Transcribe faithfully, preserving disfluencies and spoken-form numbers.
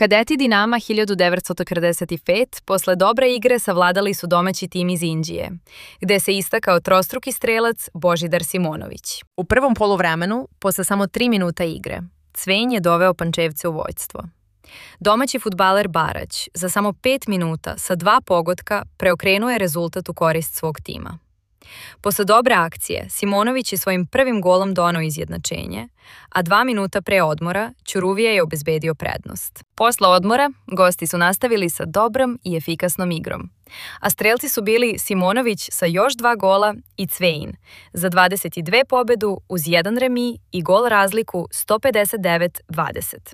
Kadeti Dinama hiljadu devetsto četrdeset pet posle dobre igre savladali su domaći tim iz Indije, gde se istakao trostruki strelac Božidar Simonović. U prvom poluvremenu, posle samo tri minuta igre, Cvenj je doveo Pančevce u vođstvo. Domaći fudbaler Barać za samo pet minuta sa dva pogotka preokrenuo je rezultat u korist svog tima. Posle dobre akcije, Simonović je svojim prvim golom doneo izjednačenje, a dva minuta pre odmora Ćuruvija je obezbedio prednost. Posle odmora, gosti su nastavili sa dobrom i efikasnom igrom, a strelci su bili Simonović sa još dva gola i Cvejn za dvadeset dve pobedu uz jedan remi i gol razliku sto pedeset devet dvadeset.